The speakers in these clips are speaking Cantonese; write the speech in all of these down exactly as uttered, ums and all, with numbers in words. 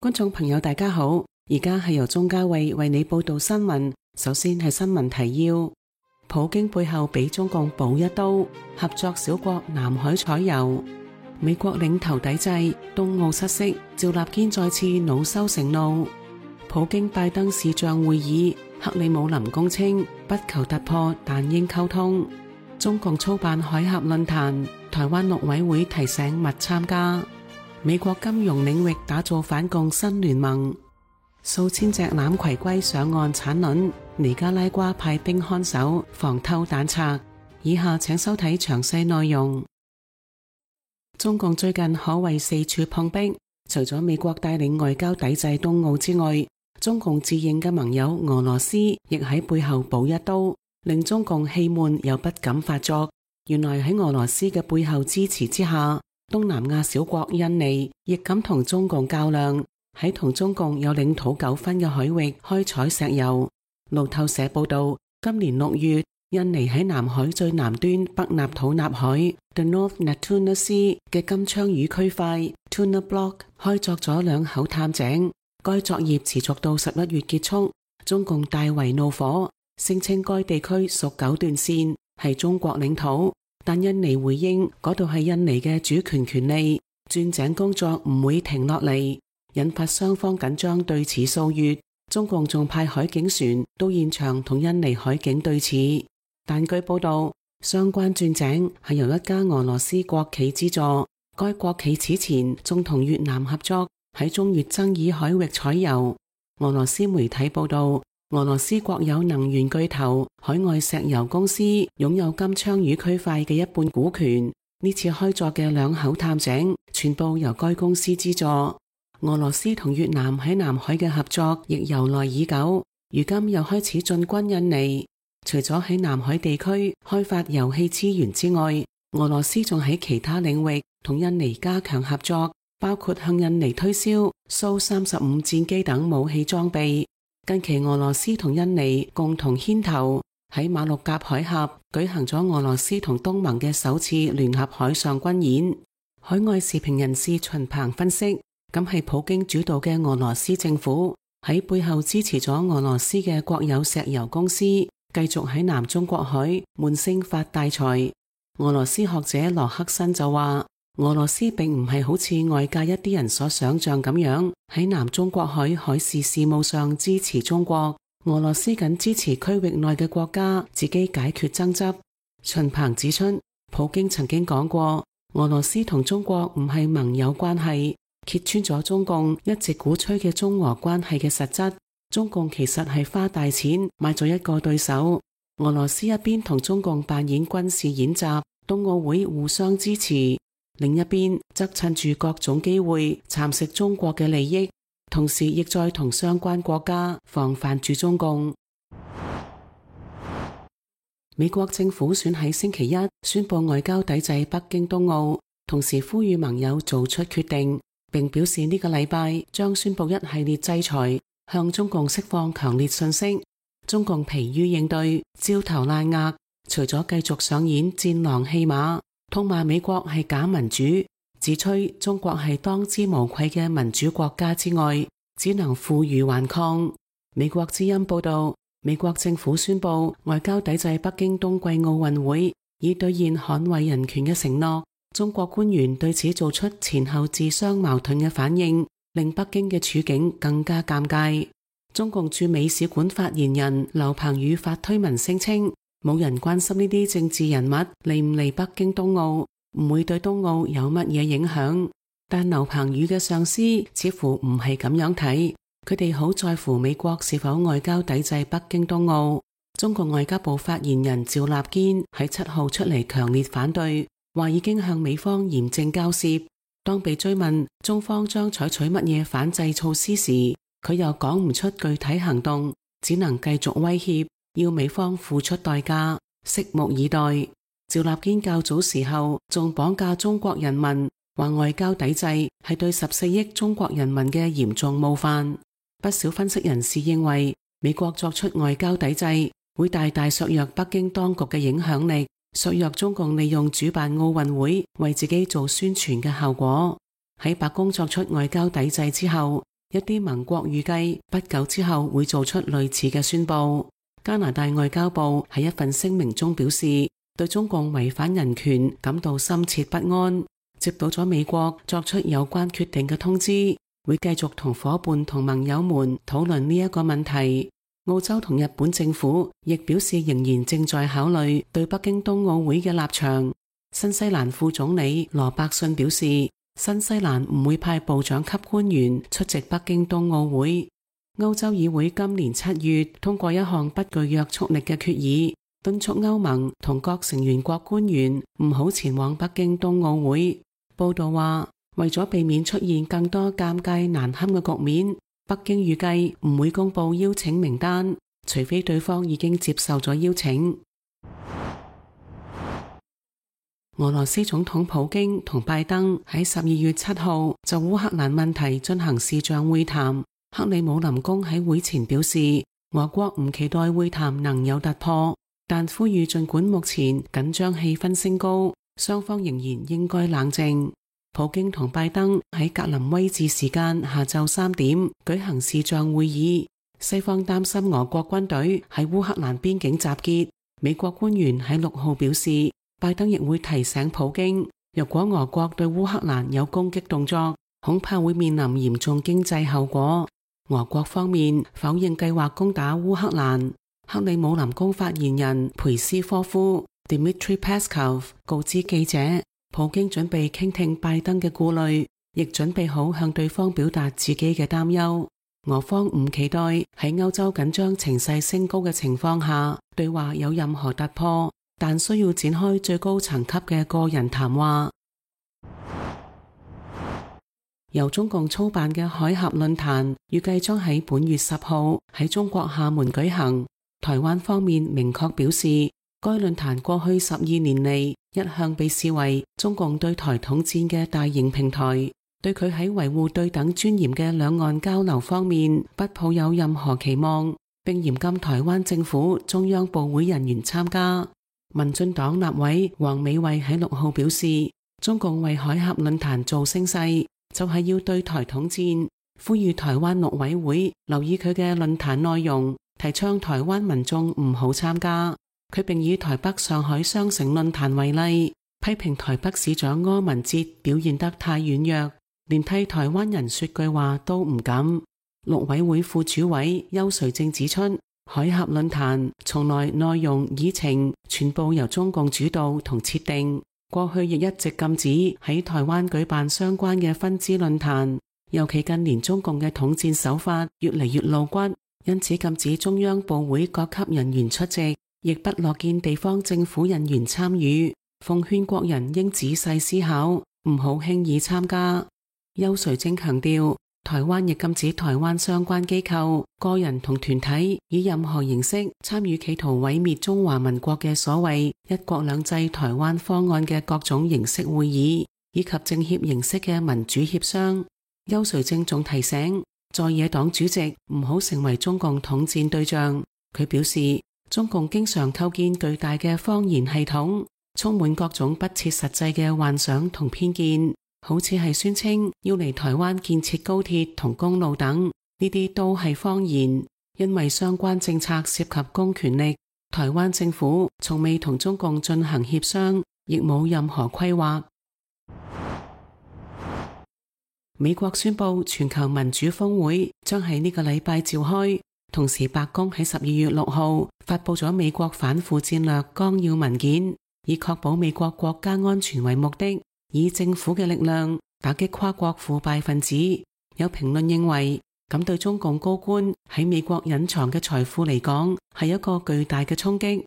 觀眾朋友大家好，而家係由鍾嘉慧為你報道新聞。首先係新聞提要：普京背後俾中共補一刀，合作小國南海採油；美國領頭抵制，東奧失色，趙立堅再次惱羞成怒；普京拜登視像會議，克里姆林宮稱不求突破，但應溝通；中共操辦海峽論壇，台灣陸委會提醒勿參加；美國金融領域打造反共新聯盟；數千隻欖葵龜上岸產卵，尼加拉瓜派兵看守，防偷彈賊。以下請收睇詳細內容。中共最近可謂四處碰壁，除咗美國帶領外交抵制東奧之外，中共自認嘅盟友俄羅斯亦喺背後補一刀，令中共氣悶又不敢發作。原來喺俄羅斯嘅背後支持之下，東南亞小國印尼亦敢同中共較量，喺同中共有領土糾紛嘅海域開採石油。路透社報道，今年六月，印尼喺南海最南端北納土納海 The North Natuna Sea 嘅金槍魚區塊 Tuna Block 開鑿咗兩口探井，該作業持續到十一月結束。中共大為怒火，聲稱該地區屬九段線，係中國領土，但印尼回應嗰度係印尼嘅主權權利，鑽井工作唔會停落嚟，引發雙方緊張對峙數月。中共仲派海警船到現場同印尼海警對峙，但據報道，相關鑽井係由一家俄羅斯國企資助，該國企此前仲同越南合作喺中越爭議海域採油。俄羅斯媒體報道，俄羅斯國有能源巨頭海外石油公司擁有金槍魚區塊嘅一半股權，呢次開鑿嘅兩口探井全部由該公司資助。俄羅斯同越南喺南海嘅合作亦由來已久，如今又開始進軍印尼。除咗喺南海地區開發油氣資源之外，俄羅斯仲喺其他領域同印尼加強合作，包括向印尼推銷蘇三十五戰機等武器裝備。近期俄羅斯同印尼共同牽頭喺馬六甲海峽舉行咗俄羅斯同東盟嘅首次聯合海上軍演。海外時評人士秦鵬分析，咁係普京主導嘅俄羅斯政府喺背後支持咗俄羅斯嘅國有石油公司，繼續喺南中國海悶聲發大財。俄羅斯學者羅克申就話，俄羅斯並唔係好似外界一啲人所想象咁樣喺南中國海海事事務上支持中國，俄羅斯僅支持區域內嘅國家自己解決爭執。秦鵬指出，普京曾經講過，俄羅斯同中國唔係盟友關係，揭穿咗中共一直鼓吹嘅中俄關係嘅實質。中共其實係花大錢買咗一個對手。俄羅斯一邊同中共扮演軍事演習，冬奧會互相支持，另一邊則趁住各種機會蠶食中國嘅利益，同時亦在同相關國家防範住中共。美國政府選喺星期一宣布外交抵制北京冬奧，同時呼籲盟友做出決定，並表示呢個禮拜將宣布一系列制裁，向中共釋放強烈訊息。中共疲於應對，焦頭爛額，除咗繼續上演戰狼戲碼，痛罵美國係假民主，自吹中國係當之無愧嘅民主國家之外，只能負隅頑抗。美國之音報道，美國政府宣布外交抵制北京冬季奧運會，以兌現捍衛人權嘅承諾。中國官員對此做出前後自相矛盾嘅反應，令北京嘅處境更加尷尬。中共駐美使館發言人劉鵬宇發推文聲稱，冇人關心呢啲政治人物嚟唔嚟北京冬奧，唔會對冬奧有乜嘢影響。但劉鵬宇嘅上司似乎唔係咁樣睇，佢哋好在乎美國是否外交抵制北京冬奧。中國外交部發言人趙立堅喺七號出嚟強烈反對，話已經向美方嚴正交涉。當被追問中方將採取乜嘢反制措施時，佢又講唔出具體行動，只能繼續威脅，要美方付出代價，拭目以待。趙立堅較早時候仲綁架中國人民，話外交抵制係對十四億中國人民嘅嚴重冒犯。不少分析人士認為，美國作出外交抵制會大大削弱北京當局嘅影響力，削弱中共利用主辦奧運會為自己做宣傳嘅效果。喺白宮作出外交抵制之後，一啲盟國預計不久之後會做出類似嘅宣佈。加拿大外交部喺一份聲明中表示，對中共違反人權感到深切不安，接到咗美國作出有關決定嘅通知，會繼續同夥伴同盟友們討論呢一個問題。澳洲同日本政府亦表示仍然正在考慮對北京冬奧會嘅立場。新西蘭副總理羅伯遜表示，新西蘭唔會派部長級官員出席北京冬奧會。歐洲議會今年七月通過一項不具約束力嘅決議，敦促歐盟同各成員國官員唔好前往北京冬奧會。報道話，為咗避免出現更多尷尬難堪嘅局面，北京預計唔會公布邀請名單，除非對方已經接受咗邀請。俄羅斯總統普京同拜登喺十二月七號就烏克蘭問題進行視像會談。克里姆林宮喺會前表示，俄國唔期待會談能有突破，但呼籲儘管目前緊張氣氛升高，雙方仍然應該冷靜。普京同拜登喺格林威治時間下晝三點舉行視像會議。西方擔心俄國軍隊喺烏克蘭邊境集結。美國官員喺六號表示，拜登亦會提醒普京，若果俄國對烏克蘭有攻擊動作，恐怕會面臨嚴重經濟後果。俄國方面否認計劃攻打烏克蘭。克里姆林宮發言人佩斯科夫 Dmitry Peskov 告知記者，普京準備傾聽拜登嘅顧慮，亦準備好向對方表達自己嘅擔憂。俄方唔期待喺歐洲緊張情勢升高嘅情況下對話有任何突破，但需要展開最高層級嘅個人談話。由中共操辦嘅海峽論壇預計將喺本月十號喺中國廈門舉行。台灣方面明確表示，該論壇過去十二年嚟一向被視為中共對台統戰嘅大型平台，對佢喺維護對等尊嚴嘅兩岸交流方面不抱有任何期望，並嚴禁台灣政府中央部會人員參加。民進黨立委黃美惠喺六號表示，中共為海峽論壇做聲勢，就係要對台統戰，呼籲台灣陸委會留意佢嘅論壇內容，提倡台灣民眾唔好參加。佢並以台北上海雙城論壇為例，批評台北市長柯文哲表現得太軟弱，連替台灣人說句話都唔敢。陸委會副主委邱垂正指出，海峽論壇從來內容議程全部由中共主導同設定，過去亦一直禁止喺台灣舉辦相關嘅分支論壇，尤其近年中共嘅統戰手法越嚟越露骨，因此禁止中央部會各級人員出席，亦不樂見地方政府人員參與，奉勸國人應仔細思考，唔好輕易參加。邱垂正強調，台灣亦禁止台灣相關機構、個人同團體以任何形式參與企圖毀滅中華民國嘅所謂一國兩制台灣方案嘅各種形式會議，以及政協形式嘅民主協商。邱垂正仲提醒在野黨主席唔好成為中共統戰對象。佢表示，中共經常構建巨大嘅謊言系統，充滿各種不切實際嘅幻想同偏見，好似係宣稱要嚟台灣建設高鐵同公路等，呢啲都係謊言。因為相關政策涉及公權力，台灣政府從未同中共進行協商，亦冇任何規劃。美國宣布全球民主峰會將喺呢個禮拜召開，同時白宮喺十二月六號發佈咗美國反腐戰略綱要文件，以確保美國國家安全為目的，以政府嘅力量打擊跨國腐敗分子。有評論認為，咁對中共高官喺美國隱藏嘅財富嚟講，係一個巨大嘅衝擊。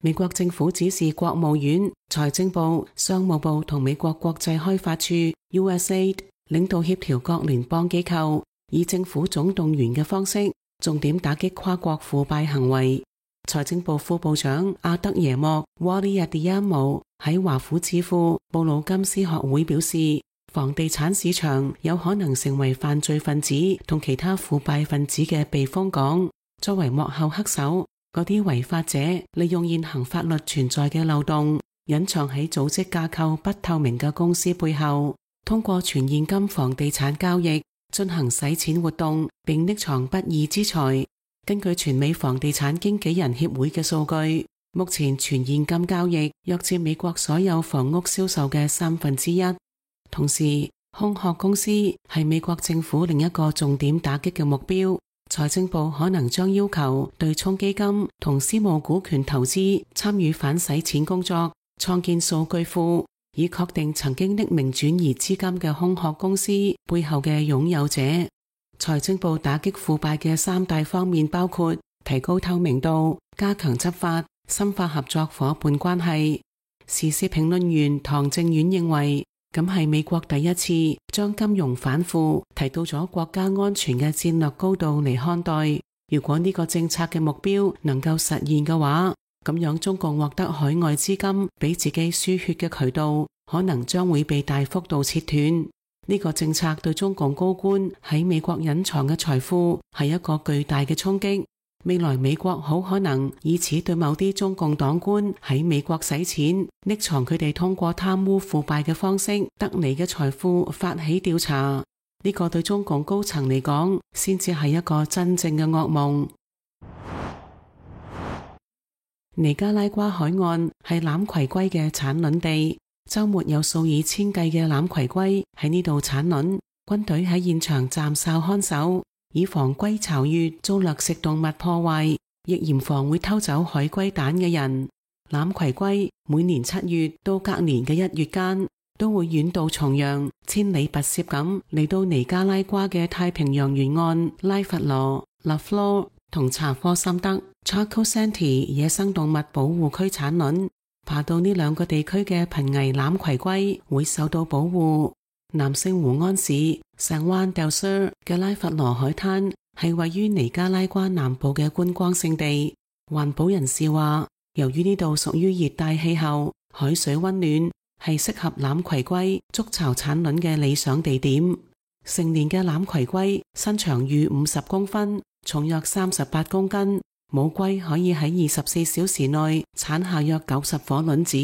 美國政府指示國務院、財政部、商務部同美國國際開發處 U S A I D 領導協調各聯邦機構，以政府總動員嘅方式，重點打擊跨國腐敗行為。財政部副部長阿德耶莫 Wally Adeyemo 喺華府智庫布魯金斯學會表示，房地產市場有可能成為犯罪分子同其他腐敗分子嘅避風港。作為幕後黑手，嗰啲違法者利用現行法律存在嘅漏洞，隱藏喺組織架構不透明嘅公司背後，通過全現金房地產交易進行洗錢活動並匿藏不義之財。根據全美房地產經紀人協會嘅數據，目前全現金交易約佔美國所有房屋銷售嘅三分之一。同時，空殼公司係美國政府另一個重點打擊嘅目標。財政部可能將要求對沖基金同私募股權投資參與反洗錢工作，創建數據庫，以確定曾經匿名轉移資金嘅空殼公司背後嘅擁有者。財政部打擊腐敗嘅三大方面包括提高透明度、加強執法、深化合作夥伴關係。時事評論員唐正遠認為，咁係美國第一次將金融反腐提到咗國家安全嘅戰略高度嚟看待。如果呢個政策嘅目標能夠實現嘅話，咁樣中共獲得海外資金俾自己輸血嘅渠道，可能將會被大幅度切斷。呢個政策對中共高官喺美國隱藏嘅財富係一個巨大嘅衝擊。未來美國好可能以此對某啲中共黨官喺美國洗錢、匿藏佢哋通過貪污腐敗嘅方式得嚟嘅財富發起調查。呢個對中共高層嚟講，先至係一個真正嘅噩夢。尼加拉瓜海岸係欖葵龜嘅產卵地。周末有數以千計嘅欖葵龜喺呢度產卵，軍隊喺現場站哨看守，以防龜巢穴遭掠食動物破壞，亦嚴防會偷走海龜蛋嘅人。欖葵龜每年七月到隔年嘅一月間，都會遠渡重洋，千里跋涉咁嚟到尼加拉瓜嘅太平洋沿岸拉佛羅、拉弗羅同查科森德 Chaco Santee 野生動物保護區產卵。爬到呢兩個地區嘅瀕危欖葵龜會受到保護。南聖胡安市聖灣 del Sur 嘅拉佛羅海灘係位於尼加拉瓜南部嘅觀光勝地。環保人士話，由於呢度屬於熱帶氣候，海水溫暖，係適合欖葵龜築巢產卵嘅理想地點。成年嘅欖葵龜身長逾五十公分，重約三十八公斤。母龜可以喺二十四小時內產下約九十顆卵子，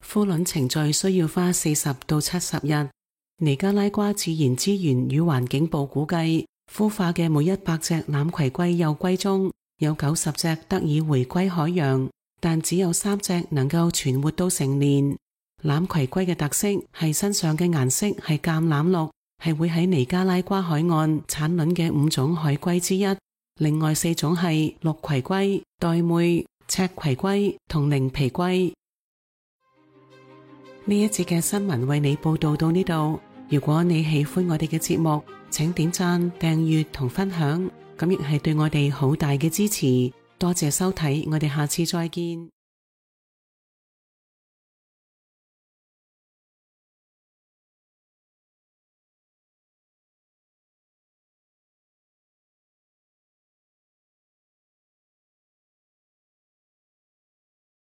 孵卵程序需要花四十到七十日。尼加拉瓜自然資源與環境部估計，孵化嘅每一百隻欖葵龜幼龜中有九十隻得以回歸海洋，但只有三隻能夠存活到成年。欖葵龜嘅特色係身上嘅顏色係橄欖綠，係會喺尼加拉瓜海岸產卵嘅五種海龜之一。另外四種係綠葵龜、玳瑁、赤葵龜同靈皮龜。呢一節嘅新聞為你報道到呢度。如果你喜歡我哋嘅節目，請點讚、訂閱同分享，咁亦係對我哋好大嘅支持。多謝收睇，我哋下次再見。